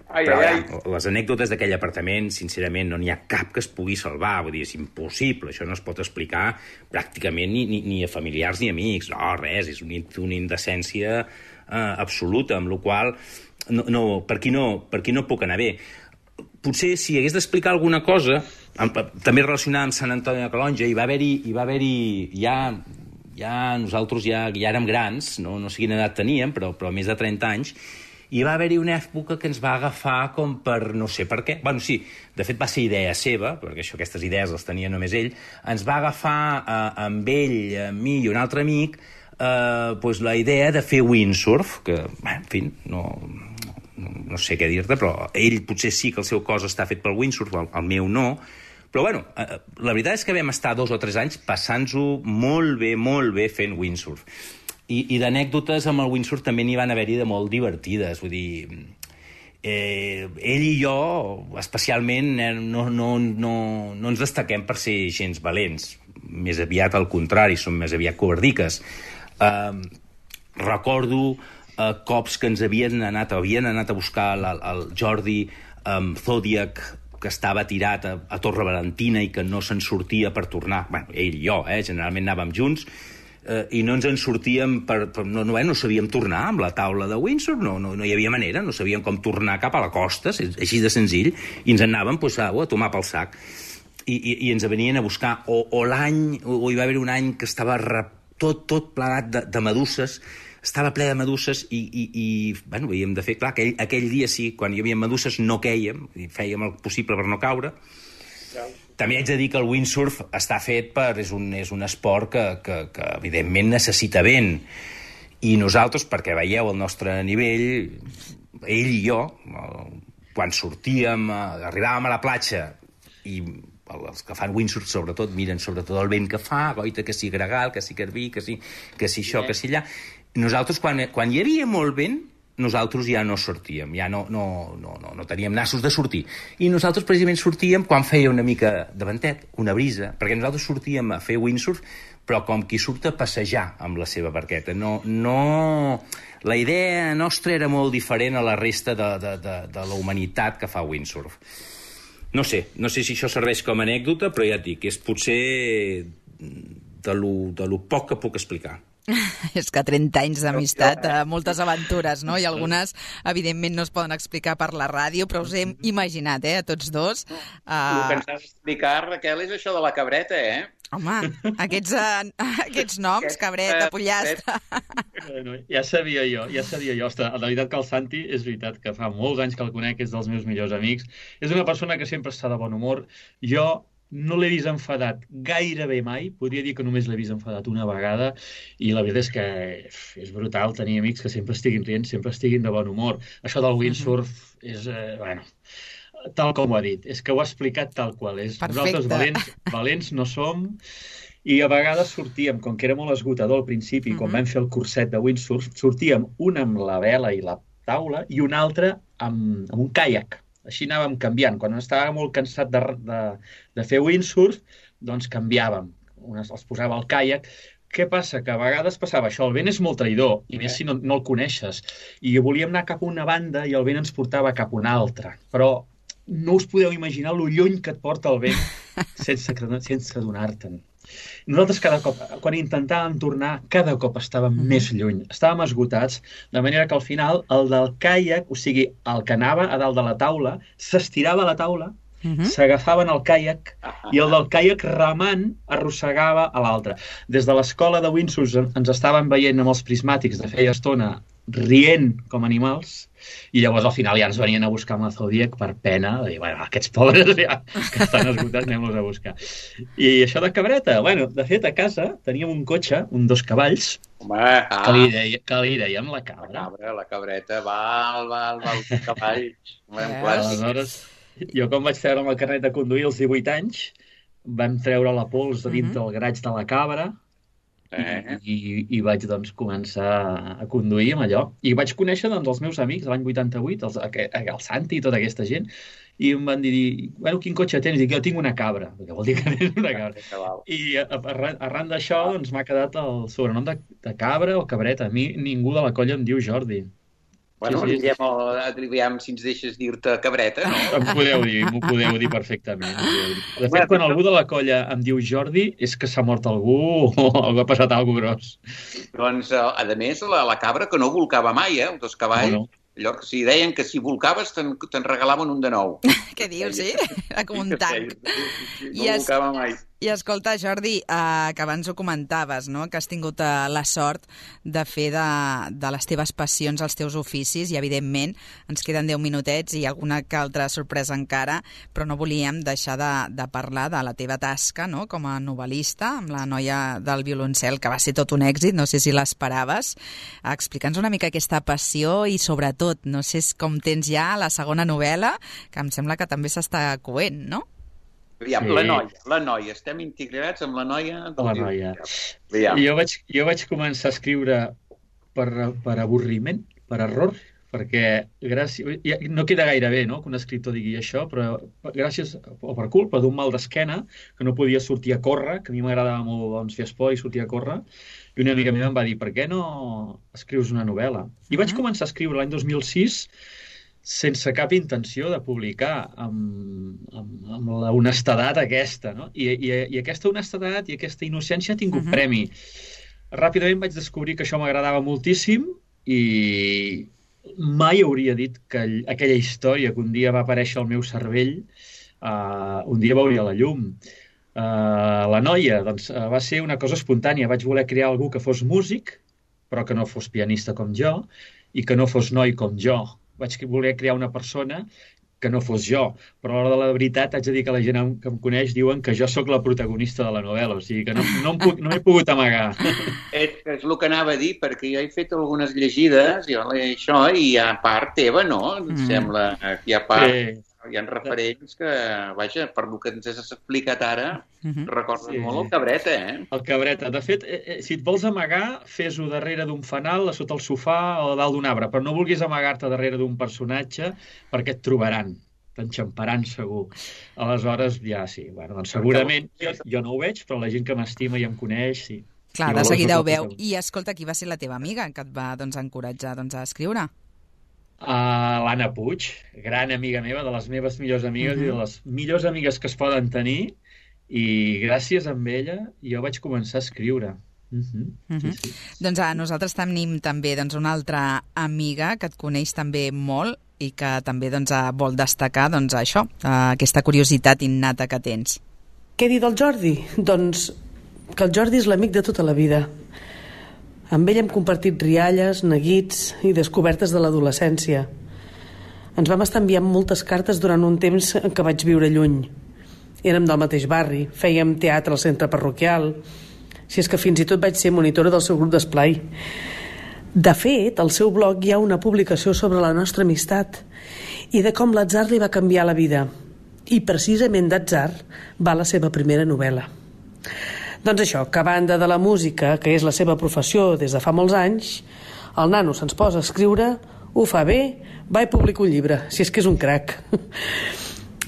Ai, però ai, ai. Les anècdotes d'aquell apartament, sincerament, no n'hi ha cap que es pugui salvar. Vull dir, és impossible, això no es pot explicar pràcticament ni, ni, ni a familiars ni amics. No, res, és una, una indecència uh, absoluta, amb la qual no, no, per, aquí no, per aquí no puc anar bé. potser si hagués d'explicar alguna cosa, també relacionada amb Sant Antoni de Calonge, hi va haver-hi, hi va haver-hi ja, ja nosaltres ja, ja érem grans, no, no sé quina edat teníem, però, però més de trenta anys, i va haver-hi una època que ens va agafar com per no sé per què. Bueno, sí, de fet va ser idea seva, perquè això, aquestes idees les tenia només ell, ens va agafar eh, amb ell, amb mi i un altre amic, eh, pues, la idea de fer windsurf, que, bé, en fi, no... no sé què dir-te, però ell potser sí que el seu cos està fet pel windsurf, el, el meu no, però bueno, eh, la veritat és que vam estar dos o tres anys passant-ho molt bé, molt bé fent windsurf. I, i d'anècdotes amb el windsurf també n'hi van haver-hi de molt divertides, vull dir, eh, ell i jo especialment eh, no, no, no, no ens destaquem per ser gens valents, més aviat al contrari, som més aviat covardiques. Eh, recordo Uh, cops que ens havien anat, havien anat a buscar el, el Jordi um, Zodiac, que estava tirat a, a Torre Valentina i que no se'n sortia per tornar. Bueno, ell i jo, eh? Generalment anàvem junts, uh, i no ens en sortíem per... per no, no, no sabíem tornar amb la taula de Windsor, no, no, no hi havia manera, no sabíem com tornar cap a la costa, així de senzill, i ens anàvem pues, a, a tomar pel sac. I, i, i ens venien a buscar, o, o l'any, o, o hi va haver un any que estava rep, tot, tot plegat de, de meduses, estava ple de meduses i, i, i bueno, havíem de fer, clar, aquell, aquell dia sí, quan hi havia meduses no quèiem, i fèiem el possible per no caure. Ja. També haig de dir que el windsurf està fet per... és un, és un esport que, que, que evidentment necessita vent, i nosaltres, perquè veieu el nostre nivell, ell i jo, quan sortíem, arribàvem a la platja, i els que fan windsurf sobretot miren sobretot el vent que fa, goita, que si gregal, que si garbí, que si, que si això, que si allà. Nosaltres, quan, quan hi havia molt vent, nosaltres ja no sortíem, ja no, no, no, no, no teníem nassos de sortir. I nosaltres precisament sortíem quan feia una mica de ventet, una brisa, perquè nosaltres sortíem a fer windsurf, però com qui surt a passejar amb la seva barqueta. No, no... La idea nostra era molt diferent a la resta de, de, de, de la humanitat que fa windsurf. No sé, no sé si això serveix com a anècdota, però ja et dic, és potser de lo, de lo poc que puc explicar. És que trenta anys d'amistat, eh, moltes aventures, no? I algunes, evidentment, no es poden explicar per la ràdio, però us hem imaginat, eh, a tots dos. Uh... El que ens has d'explicar, Raquel, és això de la cabreta, eh? Home, aquests, uh, aquests noms, Aquest, cabreta, pollastre... Bueno, ja sabia jo, ja sabia jo. Ostres, la veritat que el Santi, és veritat que fa molts anys que el conec, és dels meus millors amics. És una persona que sempre està de bon humor. Jo no l'he vist enfadat gairebé mai, podria dir que només l'he vist enfadat una vegada, i la veritat és que és brutal tenir amics que sempre estiguin rient, sempre estiguin de bon humor. Això del windsurf és, eh, bueno, tal com ho ha dit, és que ho ha explicat tal qual és. Perfecte. Nosaltres valents, valents no som, i a vegades sortíem, com que era molt esgotador al principi, uh-huh. quan vam fer el curset de windsurf, sortíem un amb la vela i la taula i un altre amb, amb un caiac. Així anàvem canviant. Quan estava molt cansat de, de, de fer windsurf, doncs canviàvem. Un els posava al caiac. Què passa? Que a vegades passava això. El vent és molt traïdor, i més si no, no el coneixes. I volíem anar cap a una banda i el vent ens portava cap a una altra. Però no us podeu imaginar lo lluny que et porta el vent sense, sense adonar-te'n. Nosaltres cada cop, quan intentàvem tornar, cada cop estàvem mm-hmm. més lluny. Estàvem esgotats, de manera que al final el del caiac, o sigui, el que anava a dalt de la taula, s'estirava a la taula, mm-hmm. s'agafaven al caiac i el del caiac remant arrossegava a l'altre. Des de l'escola de windsurf ens estaven veient amb els prismàtics de feia estona rient com animals, i llavors al final ja ens venien a buscar amb la Zodiac per pena, de dir, bueno, aquests pobres ja que estan esgotats, anem-los a buscar. I això de cabreta, bueno, de fet a casa teníem un cotxe, un dos cavalls, Home, ah. que, li deia, que li dèiem la cabra. La cabra, la cabreta, val, val, val, cavalls. Aleshores, jo quan vaig treure el carnet de conduir als divuit anys, vam treure la pols de dintre del graig de la cabra, Eh. I, i vaig doncs, començar a conduir amb allò. I vaig conèixer doncs, els meus amics l'any vuitanta-vuit, els, el Santi i tota aquesta gent, i em van dir, bueno, quin cotxe tens? I dic, jo tinc una cabra, perquè vol dir que tens una cabra. I arran, arran d'això doncs, m'ha quedat el sobrenom de, de cabra o cabreta. A mi ningú de la colla em diu Jordi. Bueno, sí, sí. Diguem, si ens deixes dir-te cabreta, no? Em podeu dir, m'ho podeu dir perfectament. De fet, quan algú de la colla em diu Jordi, és que s'ha mort algú o ha passat alguna cosa gros. Doncs, a més, la, la cabra que no volcava mai, eh? Els dos cavalls. No, no. allò que si deien que si volcaves te'n te regalaven un de nou. Què dius, sí? Era com un tanc. No volcava mai. I escolta, Jordi, eh, que abans ho comentaves, no? Que has tingut eh, la sort de fer de, de les teves passions els teus oficis i, evidentment, ens queden deu minutets i alguna que altra sorpresa encara, però no volíem deixar de, de parlar de la teva tasca, no?, com a novel·lista, amb la noia del violoncel, que va ser tot un èxit, no sé si l'esperaves. Explica'ns una mica aquesta passió i, sobretot, no sé com tens ja la segona novel·la, que em sembla que també s'està coent, no? Aviam, sí. la noia, la noia. Estem integrats amb la noia. Del la noia. Jo vaig, jo vaig començar a escriure per, per avorriment, per error, perquè gràcies, no queda gaire bé, no?, que un escriptor digui això, però gràcies o per culpa d'un mal d'esquena, que no podia sortir a córrer, que a mi m'agradava molt, doncs, fer esport i sortir a córrer, i una amiga meva em va dir, per què no escrius una novel·la? I vaig començar a escriure l'any dos mil sis sense cap intenció de publicar, amb, amb, amb la honestedat aquesta, no? I, i, i aquesta honestedat i aquesta innocència ha tingut uh-huh. premi. Ràpidament vaig descobrir que això m'agradava moltíssim i mai hauria dit que aquella història que un dia va aparèixer al meu cervell uh, un dia veuria la llum. Uh, la noia, doncs, uh, va ser una cosa espontània. Vaig voler crear algú que fos músic, però que no fos pianista com jo, i que no fos noi com jo. Vaig voler crear una persona que no fos jo, però a l'hora de la veritat haig de dir que la gent que em coneix diuen que jo sóc la protagonista de la novel·la, o sigui que no, no, em puc, no m'he pogut amagar. És, és el que anava a dir, perquè jo he fet algunes llegides i això, i a part teva, no? Em mm. sembla que hi ha part... Sí. Hi ha referents que, vaja, per el que ens has explicat ara, uh-huh. recorden sí. molt el Cabreta, eh? El Cabreta. De fet, eh, si et vols amagar, fes-ho darrere d'un fanal, a sota el sofà o dalt d'un arbre, però no vulguis amagar-te darrere d'un personatge perquè et trobaran, t'enxamparan segur. Aleshores, ja sí, bueno, doncs segurament jo, jo no ho veig, però la gent que m'estima i em coneix, sí. Clar, de seguida ho veu. I escolta, qui va ser la teva amiga que et va doncs, encoratjar doncs, a escriure? Uh, L'Anna Puig, gran amiga meva, de les meves millors amigues uh-huh. i de les millors amigues que es poden tenir, i gràcies a ella jo vaig començar a escriure. Uh-huh. Uh-huh. Sí, sí. Doncs a nosaltres tenim també doncs, una altra amiga que et coneix també molt i que també doncs, vol destacar doncs, això, aquesta curiositat innata que tens. Què dir del Jordi? Doncs que el Jordi és l'amic de tota la vida. Amb ell hem compartit rialles, neguits i descobertes de l'adolescència. Ens vam estar enviant moltes cartes durant un temps en què vaig viure lluny. Érem del mateix barri, fèiem teatre al centre parroquial, si és que fins i tot vaig ser monitora del seu grup d'esplai. De fet, al seu blog hi ha una publicació sobre la nostra amistat i de com l'atzar li va canviar la vida. I precisament d'atzar va la seva primera novel·la. Doncs això, que a banda de la música, que és la seva professió des de fa molts anys, el nano se'ns posa a escriure, ho fa bé, va i publica un llibre, si és que és un crac.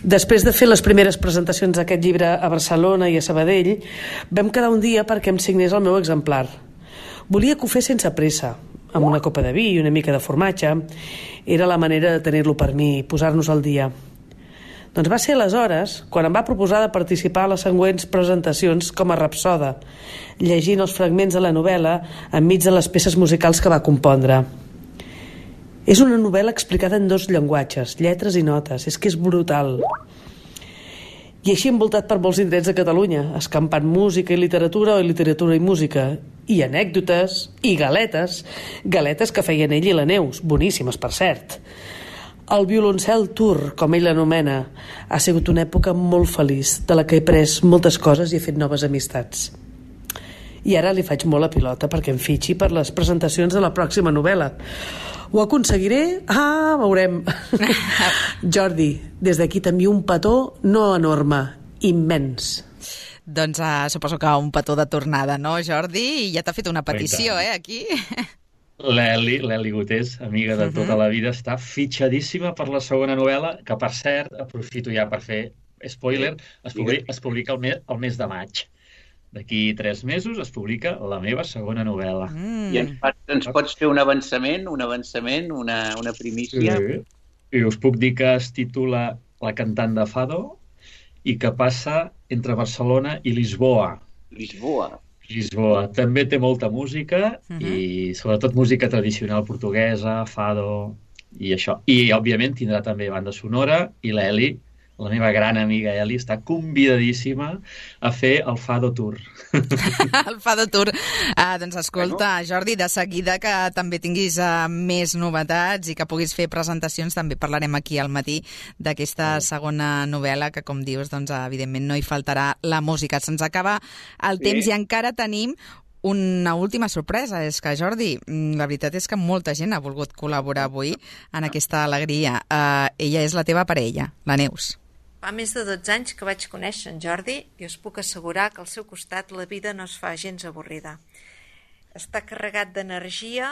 Després de fer les primeres presentacions d'aquest llibre a Barcelona i a Sabadell, vam quedar un dia perquè em signés el meu exemplar. Volia que ho fes sense pressa, amb una copa de vi i una mica de formatge. Era la manera de tenir-lo per mi, posar-nos al dia. Doncs va ser aleshores quan em va proposar de participar a les següents presentacions com a rapsoda, llegint els fragments de la novel·la enmig de les peces musicals que va compondre. És una novel·la explicada en dos llenguatges, lletres i notes. És que és brutal. I així envoltat per molts indrets de Catalunya, escampant música i literatura o literatura i música, i anècdotes, i galetes, galetes que feien ell i la Neus, boníssimes per cert. El violoncel tour, com ell l'anomena, ha sigut una època molt feliç, de la que he pres moltes coses i he fet noves amistats. I ara li faig molt a pilota perquè em fitxi per les presentacions de la pròxima novel·la. Ho aconseguiré? Ah, veurem. Jordi, des d'aquí t'envio un petó no enorme, immens. Doncs uh, suposo que un petó de tornada, no, Jordi? I ja t'ha fet una petició, eh, aquí. L'Eli, l'Eli Gutés, amiga de tota la vida, està fitxadíssima per la segona novel·la, que, per cert, aprofito ja per fer spoiler, es publica, es publica el, mes, el mes de maig. D'aquí tres mesos es publica la meva segona novel·la. Mm. I ens, ens pots fer un avançament, un avançament, una, una primícia? Sí. I us puc dir que es titula La cantant de Fado i que passa entre Barcelona i Lisboa. Lisboa. Lisboa. També té molta música uh-huh. i sobretot música tradicional portuguesa, fado, i això. I, òbviament, tindrà també banda sonora, i l'Eli, la meva gran amiga Eli, està convidadíssima a fer el Fado Tour. El Fado Tour. Uh, doncs escolta, Jordi, de seguida que també tinguis uh, més novetats i que puguis fer presentacions, també parlarem aquí al matí d'aquesta segona novel·la que, com dius, doncs, evidentment no hi faltarà la música. Se'ns acaba el temps i encara tenim una última sorpresa. És que, Jordi, la veritat és que molta gent ha volgut col·laborar avui en aquesta alegria. Uh, ella és la teva parella, la Neus. Fa més de dotze anys que vaig conèixer en Jordi i us puc assegurar que al seu costat la vida no es fa gens avorrida. Està carregat d'energia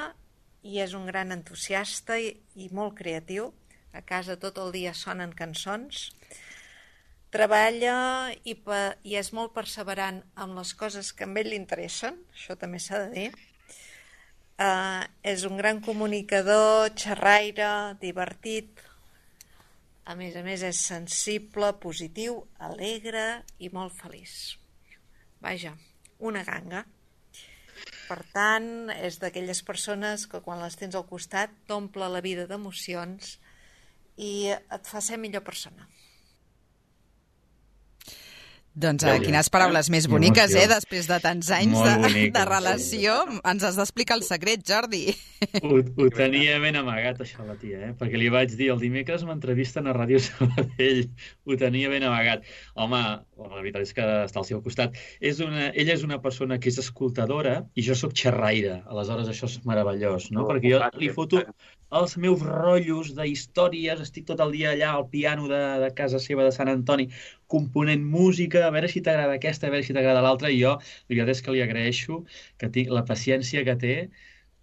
i és un gran entusiasta i, i molt creatiu. A casa tot el dia sonen cançons. Treballa i, pe, i és molt perseverant amb les coses que a ell li interessen, això també s'ha de dir. Uh, és un gran comunicador, xerraire, divertit. A més a més, és sensible, positiu, alegre i molt feliç. Vaja, una ganga. Per tant, és d'aquelles persones que quan les tens al costat t'omple la vida d'emocions i et fa ser millor persona. Doncs eh, quines paraules més boniques, eh? Després de tants anys de, de relació. Ens has d'explicar el secret, Jordi. Ho, ho tenia ben amagat, això, la tia, eh? Perquè li vaig dir, el dimecres m'entrevisten a Ràdio Sabadell. Ho tenia ben amagat. Home, la veritat és que està al seu costat. És una, ella és una persona que és escoltadora i jo sóc xerraire. Aleshores, això és meravellós, no? Perquè jo li foto els meus rotllos d'històries, estic tot el dia allà al piano de, de casa seva de Sant Antoni component música, a veure si t'agrada aquesta, a veure si t'agrada l'altra, i jo, la veritat és que li agraeixo que tinc la paciència que té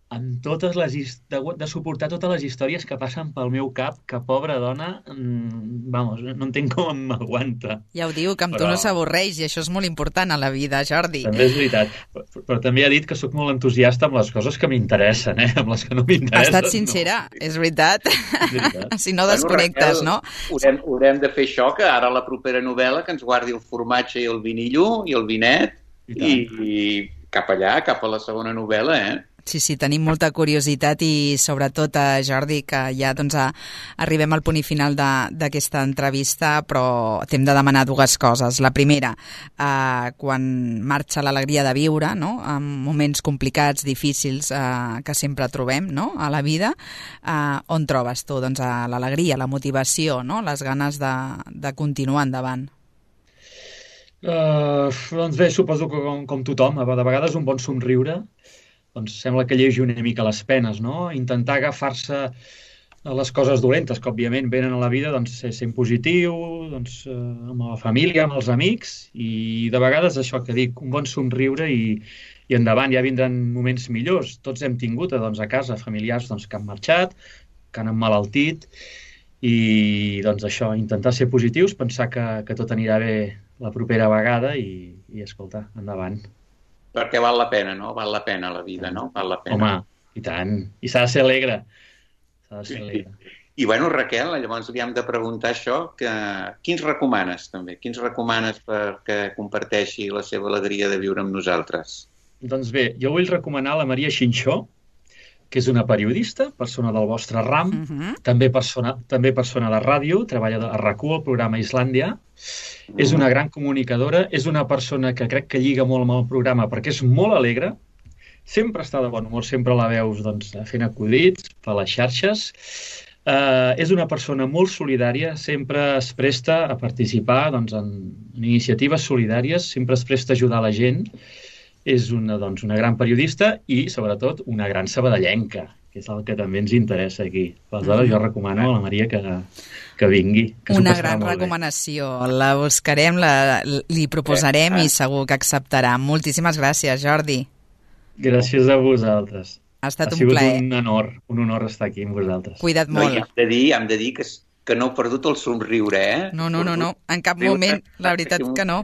amb totes les de, de suportar totes les històries que passen pel meu cap, que pobra dona, mmm, vamos, no entenc com m'aguanta. Ja ho diu, que amb però... tu no s'avorreix, i això és molt important a la vida, Jordi. També és veritat, però, però també ha dit que sóc molt entusiasta amb les coses que m'interessen, eh? Amb les que no m'interessen. Ha estat sincera, no. És veritat. És veritat. Si no desconnectes, bueno, Raquel, no? Haurem, haurem de fer això, que ara la propera novel·la que ens guardi el formatge i el vinillo i el vinet, i, i cap allà, cap a la segona novel·la, eh? Sí, sí, tenim molta curiositat i sobretot, eh, Jordi, que ja doncs, a, arribem al punt final d'aquesta entrevista, però t'hem de demanar dues coses. La primera, eh, quan marxa l'alegria de viure, no? En moments complicats, difícils, eh, que sempre trobem, no? A la vida, eh, on trobes tu doncs, l'alegria, la motivació, no? Les ganes de, de continuar endavant? Uh, doncs bé, suposo que com, com tothom, de vegades un bon somriure, doncs sembla que llegi una mica les penes, no? Intentar agafar-se a les coses dolentes que, òbviament, venen a la vida, doncs, ser, ser positiu, doncs, eh, amb la família, amb els amics, i de vegades això que dic, un bon somriure i, i endavant, ja vindran moments millors. Tots hem tingut, doncs, a casa familiars doncs, que han marxat, que han emmalaltit, i doncs això, intentar ser positius, pensar que, que tot anirà bé la propera vegada i, i escolta, endavant. Perquè val la pena, no? Val la pena la vida, no? Val la pena. Home, i tant. I s'ha de ser alegre. S'ha de ser alegre. I, i bueno, Raquel, llavors li hem de preguntar això, que quins recomanes, també? Quins recomanes perquè comparteixi la seva alegria de viure amb nosaltres? Doncs bé, jo vull recomanar la Maria Xinxó, que és una periodista, persona del vostre ram, uh-huh. també, persona, també persona de ràdio, treballa a RAC u, el programa Islàndia, uh-huh. és una gran comunicadora, és una persona que crec que lliga molt amb el programa perquè és molt alegre, sempre està de bon humor, sempre la veus doncs, fent acudits per les xarxes, uh, és una persona molt solidària, sempre es presta a participar doncs, en, en iniciatives solidàries, sempre es presta a ajudar la gent. És una, doncs, una gran periodista i, sobretot, una gran sabadellenca, que és el que també ens interessa aquí. Aleshores, jo recomano a la Maria que, que vingui. Que una gran recomanació. La buscarem, la, li proposarem eh, eh. i segur que acceptarà. Moltíssimes gràcies, Jordi. Gràcies a vosaltres. Ha estat ha un plaer. Ha sigut un honor, un honor estar aquí amb vosaltres. Cuida't molt. No, hem de dir, hem de dir que, que no heu perdut el somriure, eh? No, no, no, no. En cap moment, la veritat que no.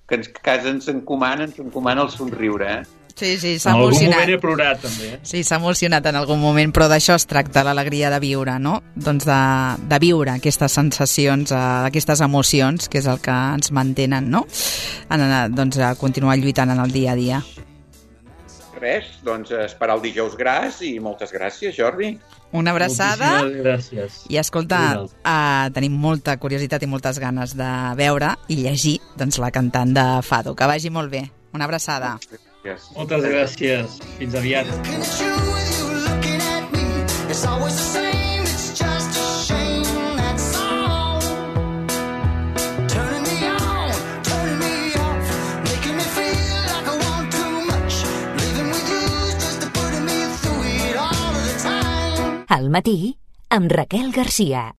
Que ens, casa ens encomana, ens encomana el somriure, eh? Sí, sí, s'ha emocionat. En algun moment he plorat, també. Eh? Sí, s'ha emocionat en algun moment, però d'això es tracta, l'alegria de viure, no? Doncs de, de viure aquestes sensacions, eh, aquestes emocions, que és el que ens mantenen, no? En, doncs a continuar lluitant en el dia a dia. res, doncs esperar el dijous gras i moltes gràcies, Jordi. Una abraçada. Moltíssimes gràcies. I escolta, uh, tenim molta curiositat i moltes ganes de veure i llegir doncs, la cantant de Fado. Que vagi molt bé. Una abraçada. Yes. Moltes gràcies. Fins aviat. Al matí, amb Raquel Garcia.